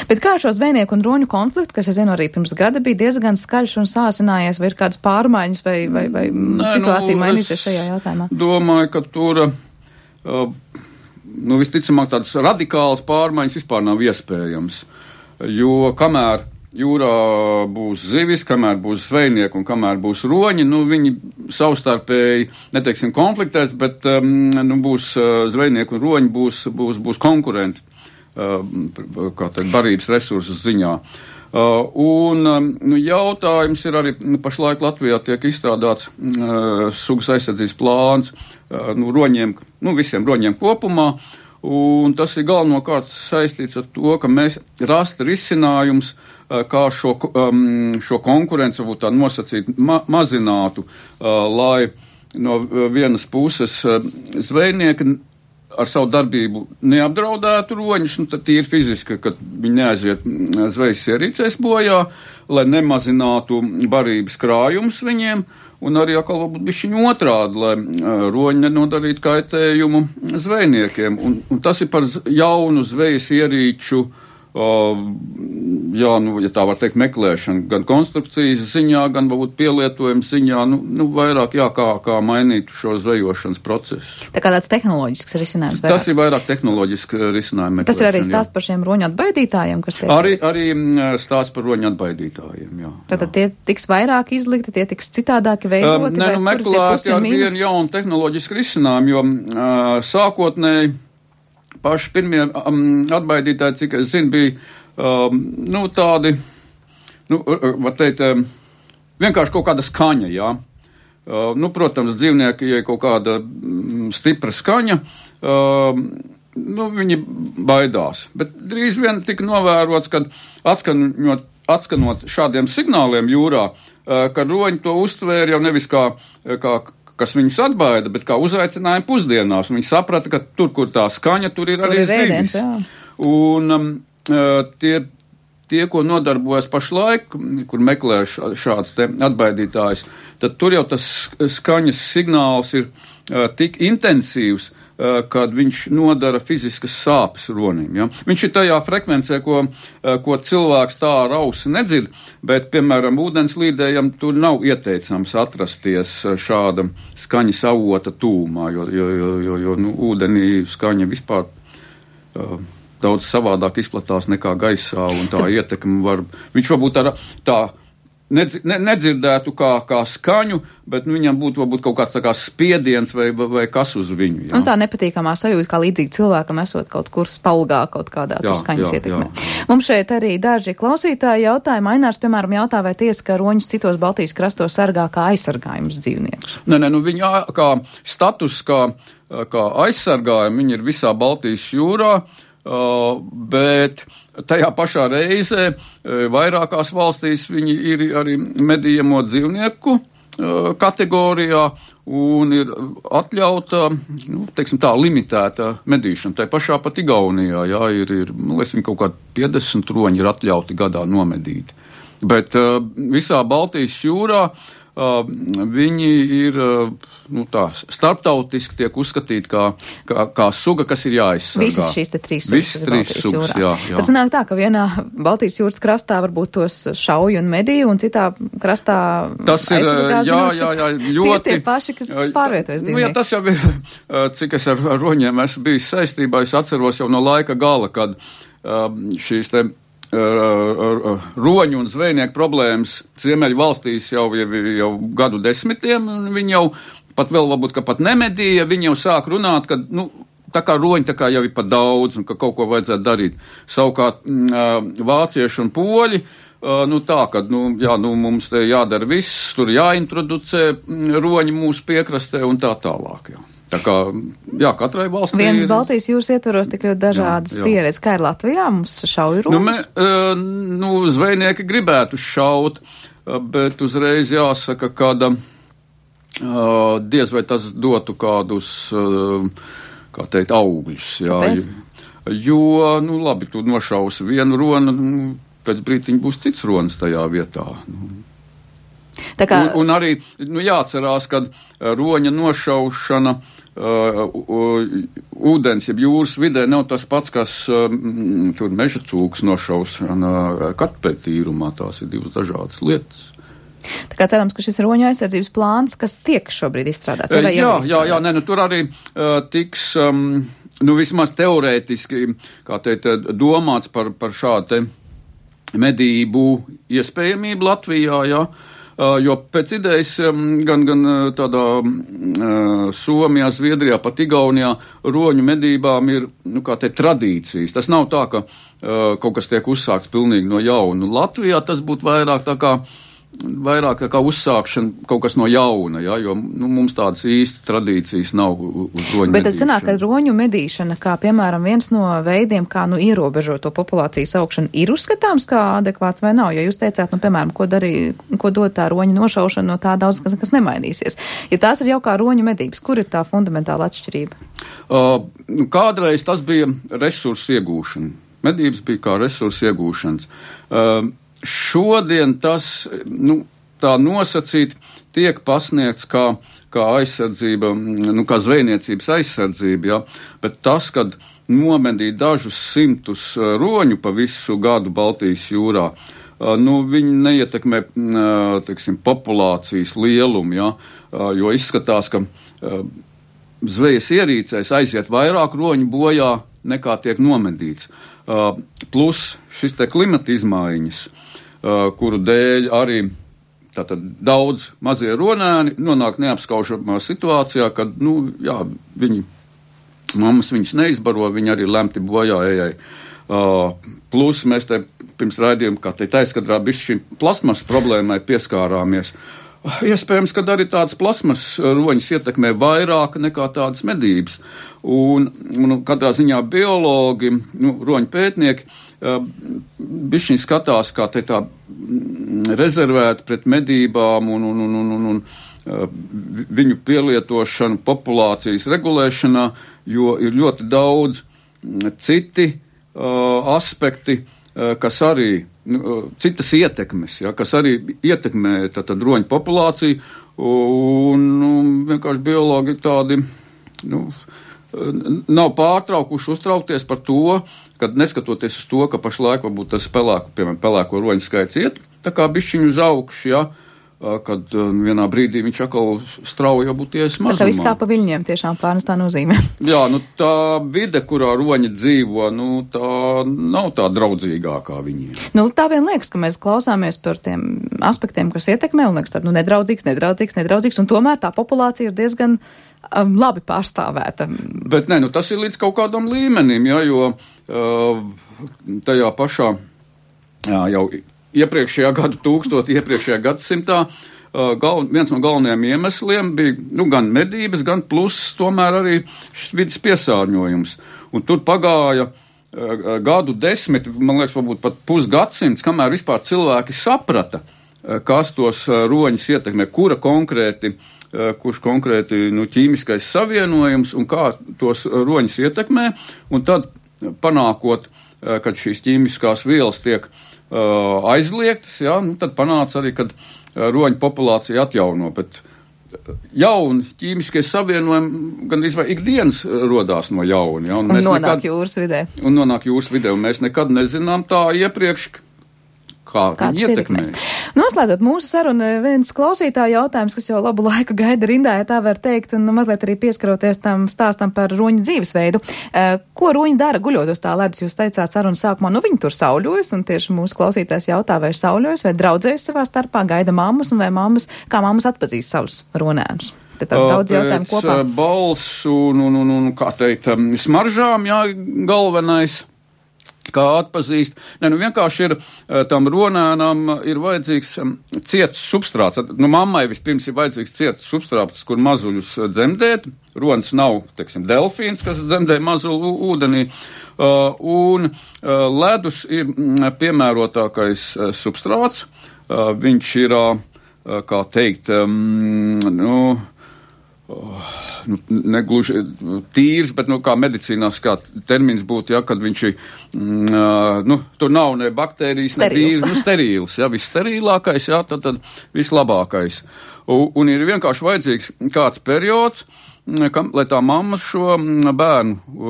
Bet kā šo zvejnieku un roņu konfliktu, kas, es zinu, arī pirms gada bija diezgan skaļš un sāsinājies, vai ir kādas pārmaiņas, vai, vai, vai Nē, situācija nu, mainīsies šajā jautājumā? Domāju, ka tur, uh, nu, visticamāk tādas radikālas pārmaiņas vispār nav iespējams, jo kamēr jūrā būs zivis, kamēr būs zvejnieki un kamēr būs roņi, nu, viņi savstarpēji, neteiksim, konfliktēs, bet um, nu, būs uh, zvejnieki un roņi būs, būs, būs konkurenti, uh, kā teikt, barības resursu ziņā. Uh, un nu, jautājums ir arī, pašlaik Latvijā tiek izstrādāts uh, sugas aizsardzības plāns uh, nu, roņiem, nu, visiem roņiem kopumā, un tas ir galvenokārt saistīts ar to, ka mēs rast risinājums, uh, kā šo, um, šo konkurenci varbūt tā nosacīt ma- mazinātu, uh, lai no vienas puses uh, zvejnieki ar savu darbību neapdraudētu roņus, nu tad tīri fiziski, kad viņi neaiziet zvejas ierīcēs bojā, lai nemazinātu barības krājumus viņiem, un arī atkal varbūt bišķiņ otrādi, lai roņi nenodarītu kaitējumu zvejniekiem. Un, un tas ir par jaunu zvejas ierīču, Uh, jā, nu, ja tā var teikt, meklēšana gan konstrukcijas ziņā, gan varbūt pielietojums ziņā, nu, nu vairāk, jā, kā, kā mainīt šo zvejošanas procesu. Tā kā tāds tehnoloģisks risinājums. Vairāk. Tas ir vairāk tehnoloģisks risinājums. Tas ir arī stāsts par šiem roņu atbaidītājiem, kas tiek. Arī, arī stāsts par roņu atbaidītājiem, jā. Tātad tie tiks vairāk izlikti, tie tiks citādāki veidoti? Um, ne, nu, meklēti ar vienu jaunu tehnoloģisku risinājumu, jo uh, sākotnēji paši pirmie um, atbaidītāji, cik es zinu, bija um, nu, tādi, nu, var teikt, um, vienkārši kaut kāda skaņa, jā. Uh, nu, protams, dzīvnieki, ja kaut kāda um, stipra skaņa, um, nu, viņi baidās. Bet drīz vien tika novērots, kad atskanot, atskanot šādiem signāliem jūrā, uh, ka roņi to uztvēra jau nevis kā, kā kas viņus atbaida, bet kā uzaicinājumu pusdienās. Viņi saprata, ka tur, kur tā skaņa, tur ir tur arī ir zivis. Un um, tie, tie, ko nodarbojas pašlaik, kur meklē šāds te atbaidītājs, tad tur jau tas skaņas signāls ir uh, tik intensīvs, uh, kad viņš nodara fiziskas sāpes ronim. Ja? Viņš ir tajā frekvencē, ko, uh, ko cilvēks tā ar ausi nedzird, bet, piemēram, ūdenslīdējam tur nav ieteicams atrasties šāda skaņas avota tūmā, jo, jo, jo, jo, jo nu, ūdenī skaņa vispār uh, daudz savādāk izplatās nekā gaisā, un tā ietekme var, viņš varbūt ar tā Nedz, ne, nedzirdētu kā, kā skaņu, bet nu, viņam būtu varbūt kaut kāds tā kā spiediens vai, vai, vai kas uz viņu. Jā. Un tā nepatīkamā sajūta, kā līdzīgi cilvēkam esot kaut kur spalgā, kaut kādā jā, tur skaņas jā, ietekmē. Jā. Mums šeit arī daži klausītāji jautāja, Mainārs, piemēram, jautā, vai tiesa, ka roņus citos Baltijas krastos sargā kā aizsargājums dzīvniekus? Nē, nē, nu viņi kā status, kā, kā aizsargājumi, viņi ir visā Baltijas jūrā, uh, bet tajā pašā reizē vairākās valstīs viņi ir arī medījamo dzīvnieku kategorijā un ir atļauta, nu, teiksim tā, limitēta medīšana. Tā pašā pat Igaunijā, jā, ir, ir, man liekas, viņi kaut kādi piecdesmit roņi ir atļauti gadā nomedīt. Bet uh, visā Baltijas jūrā Uh, viņi ir uh, nu, tā, starptautiski tiek uzskatīti kā, kā, kā suga, kas ir jāizsargā. Visas šīs te trīs sugas. Visas trīs sugas, jā, jā. Tad sanāk tā, ka vienā Baltijas jūras krastā varbūt tos šauju un medīju, un citā krastā tas ir, jā, jā, jā, ļoti. Tie tie paši, kas pārvietojas dzīvnieki. Nu, jā, tas jau ir, cik es ar, ar roņiem esmu bijis saistībā, es atceros jau no laika gala, kad um, šīs te roņu un zvejnieku problēmas Ziemeļu valstīs jau, jau, jau gadu desmitiem, un viņi jau pat vēl varbūt, ka pat nemedīja, viņi jau sāk runāt, ka, nu, tā kā roņi tā kā jau ir pat daudz, un ka kaut ko vajadzētu darīt. Savukārt vācieši un poļi, nu tā, ka, nu, jā, nu, mums te jādara viss, tur jāintroducē roņi mūsu piekrastē un tā tālāk, jā. Tā kā, jā, katrai valstī Vienas ir... Baltijas jūras ietvaros tik ļoti dažādas pieredzes. Kā ir Latvijā? Mums šauju roņus? Nu, mē, nu, zvejnieki gribētu šaut, bet uzreiz jāsaka, ka diez vai tas dotu kādus, kā teikt, augļus. Jā. Kāpēc? Jo, nu, labi, tu nošausi vienu ronu, nu, pēc brītiņa būs cits ronis tajā vietā. Nu. Tā kā... un, un arī, nu, jāatcerās, ka roņa nošaušana uh, uh, ūdens, jeb jūras vidē nav tas pats, kas uh, tur meža cūks nošaušana kartupeļu tīrumā. Tās ir divas dažādas lietas. Tā kā cerams, ka šis roņu aizsardzības plāns, kas tiek šobrīd izstrādāts, vai jā, jā, jā, nē, nu, tur arī uh, tiks, um, nu, vismaz teorētiski, kā teikt, domāts par, par šādu te medību iespējamību Latvijā, jā. jo pēc idejas gan, gan tādā Somijā, Zviedrijā, pat Igaunijā roņu medībām ir, nu, kā te tradīcijas. Tas nav tā, ka kaut kas tiek uzsākts pilnīgi no jauna. Latvijā tas būtu vairāk tā kā vairāk kā uzsākšana kaut kas no jauna, ja, jo nu, mums tādas īstas tradīcijas nav uz roņu Bet medīšanu. tad sanāk, ka roņu medīšana, kā piemēram viens no veidiem, kā nu ierobežot to populācijas augšanu, ir uzskatāms kā adekvāts vai nav? Jo jūs teicāt, nu, piemēram, ko darīja, ko dod tā roņu nošaušana, no tā daudz kas, kas nemainīsies. Ja tās ir jau kā roņu medības, kur ir tā fundamentāla atšķirība? Uh, kādreiz tas bija resursu iegūšana. Medības bija kā resursu iegūšanas. Uh, Šodien tas, nu, tā nosacīt, tiek pasniegts kā, kā aizsardzība, nu, kā zvejniecības aizsardzība, ja, bet tas, kad nomedīja dažus simtus roņu pa visu gadu Baltijas jūrā, nu, viņi neietekmē, teiksim, populācijas lielumu, ja, jo izskatās, ka zvejas ierīcēs aiziet vairāk roņu bojā nekā tiek nomedīts. Plus šis te klimata izmaiņas, Uh, kuru dēļ arī tātad daudz mazie ronēni nonāk neapskaužamā situācijā, kad, nu, jā, viņi, mammas viņus neizbaro, viņi arī lemti bojā ejai. Uh, plus mēs te pirms raidījuma, kā teikt, aizkadrā bišķi šī plasmas problēmai pieskārāmies. Iespējams, ka arī tādas plasmas roņas ietekmē vairāk nekā tādas medības. Un, un katrā ziņā biologi, nu, roņu pētnieki, bišķiņ skatās, kā te tā rezervēt pret medībām un, un, un, un, un, un viņu pielietošanu populācijas regulēšanā, jo ir ļoti daudz citi uh, aspekti, uh, kas arī, uh, citas ietekmes, ja, kas arī ietekmē tātad roņu populāciju, un nu, vienkārši biologi tādi, nu, nav pārtraukuši uztraukties par to, kad neskatoties uz to, ka pašlaik varbūt tas pelēku, piemēram, pelēko roņu skaits iet, tā kā bišķiņu uz augšu, ja, kad vienā brīdī viņš atkal strauji jau būtu ies mazumā. Tā kā viss kā pa viļņiem tiešām pārnestā nozīmē. Jā, nu tā vide, kurā roņi dzīvo, nu tā nav tā draudzīgākā viņiem. Nu tā vien liekas, ka mēs klausāmies par tiem aspektiem, kas ietekmē, un liekas, tā, nu nedraudzīgs, nedraudzīgs, nedraudzīgs, un tomēr tā populācija ir diezgan um, labi pārstāvēta. Bet nē, nu tas ir līdz kaut kādam līmenim, ja, jo uh, tajā pašā, jā, jau iepriekšējā gadu tūkstoti, iepriekšējā gadsimtā uh, gal, viens no galvenajiem iemesliem bija, nu, gan medības, gan pluss tomēr arī šis vidas piesārņojums. Un tur pagāja uh, gadu desmit, man liekas, varbūt pat pusgadsimts, kamēr vispār cilvēki saprata, uh, kas tos uh, roņus ietekmē, kura konkrēti kurš konkrēti nu, ķīmiskais savienojums un kā tos roņus ietekmē, un tad panākot, kad šīs ķīmiskās vielas tiek uh, aizliegtas, jā, nu, tad panāca arī, kad roņu populācija atjauno, bet jauni ķīmiskie savienojumi gandrīz vai ikdienas rodās no jauna. Ja, un un nonāk nekad, jūras vidē. Un nonāk jūras vidē, un mēs nekad nezinām tā iepriekš, kā viņi ietekmē. Noslēdzot mūsu sarunu, viens klausītāja jautājums, kas jau labu laiku gaida rindā, ja tā var teikt, un mazliet arī pieskaroties tam stāstam par roņu dzīvesveidu. Ko roņi dara guļot uz tā ledus? Jūs teicāt sarunas sākumā, nu viņi tur sauļojas, un tieši mūsu klausītājs jautā, vai sauļojas, vai draudzējas savā starpā, gaida mammas, un vai mammas, kā mammas atpazīst savus ronēnus. Te tā daudz jautājumu kopā. Pēc balsu un, un, un, un, kā teikt, smaržām, jā, galvenais. Kā atpazīst. Ne, nu vienkārši ir tam ronēnam ir vajadzīgs ciets substrāts. Nu, mammai vispirms ir vajadzīgs ciets substrāts, kur mazuļus dzemdēt. Ronis nav, teiksim, delfīns, kas dzemdē mazulu ūdenī. Uh, un uh, ledus ir piemērotākais uh, substrāts. Uh, viņš ir, uh, kā teikt, um, nu, Oh, nu, negluži tīrs, bet, nu, kā medicīnās, kā termins būtu, ja, kad viņš ir, mm, nu, tur nav ne baktērijas, ne vīrus, nu, sterīls, ja, vissterīlākais, ja, tad, tad vislabākais. Un, un ir vienkārši vajadzīgs kāds periods, kam, lai tā mamma šo bērnu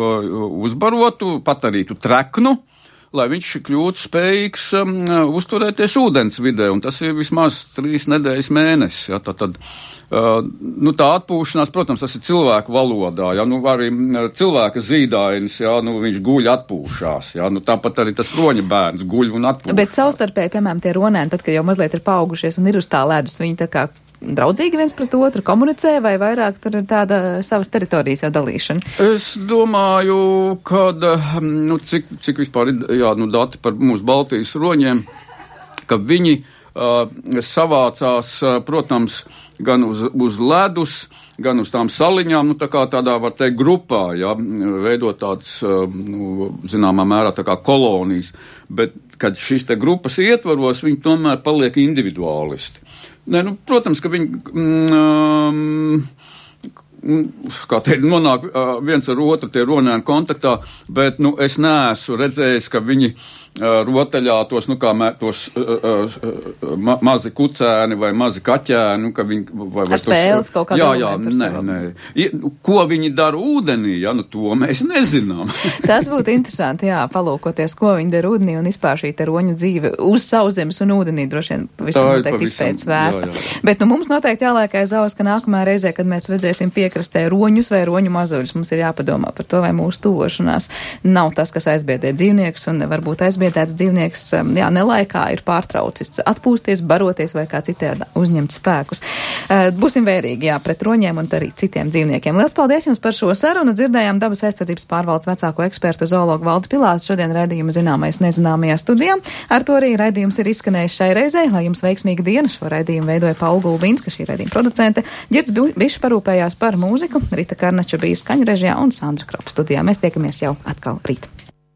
uzbarotu, patarītu treknu, lai viņš kļūtu spējīgs um, uzturēties ūdens vidē, un tas ir vismaz trīs nedēļas mēnesis. Ja, tā, tad, uh, nu, tā atpūšanās, protams, tas ir cilvēku valodā, ja, nu, arī cilvēka zīdainis, ja, nu, viņš guļ atpūšās, ja, nu, tāpat arī tas roņa bērns guļ un atpūšās. Bet savstarpēji, piemēram, tie ronēni, tad, kad jau mazliet ir paaugušies un ir uz tā ledus, viņi tā kā draudzīgi viens pret otru komunicē, vai vairāk tur ir tāda savas teritorijas jau dalīšana? Es domāju, kad, nu, cik, cik vispār ir, jā, nu, dati par mūsu Baltijas roņiem, ka viņi uh, savācās, uh, protams, gan uz, uz ledus, gan uz tām saliņām, nu, tā kā tādā, var teikt, grupā, ja, veidot tāds, uh, nu, zināmā mērā tā kā kolonijas, bet, kad šīs te grupas ietvaros, viņi tomēr paliek individuālisti. Nē, nu, protams, ka viņi, mm, kā teikt, nonāk uh, viens ar otru tie ronēni kontaktā, bet, nu, es neesmu redzējis, ka viņi uh, rotaļā tos, nu, kā mē, tos uh, uh, ma mazi kucēni vai mazi kaķēni, nu, ka viņi, vai, vai ar spēles tos, kaut kādā. Jā, jā, nē, nē. I, ko viņi dara ūdenī, ja, nu, to mēs nezinām. Tas būtu interesanti, jā, palūkoties, ko viņi dara ūdenī un vispār šī te roņu dzīve uz sauszemes un ūdenī droši vien pavisam noteikti izpētes vērta. Jā, jā. Bet, nu, mums noteikti jāliek aiz auss, ka nākamā reizē, kad mēs redzēsim piekrastē roņus vai roņu mazuļus, mums ir jāpadomā par to, vai mūsu tuvošanās nav tas, kas aizbiedē dzīvniekus, un varbūt aizbiedēts dzīvnieks, jā, nelaikā ir pārtraucis atpūsties, baroties vai kā citādi uzņemt spēkus. Būsim vērīgi, jā, pret roņiem un arī citiem dzīvniekiem. Lielas paldies jums par šo sarunu. Dzirdējām dabas aizsardzības pārvaldes vecāko ekspertu zoologu Valdi Pilātu šodien raidījuma Zināmais nezināmajā studijā. Ar to arī raidījums ir izskanējis šai reizei. Lai jums veiksmīga diena. Šo raidījumu veidoja Paula Gulbinska, šī raidījuma producente. Ģirds Bišs parūpējās par mūziku, Rita Karnača bija skaņu režijā un Sandra Kropa studijā. Mēs tiekamies jau atkal rīt.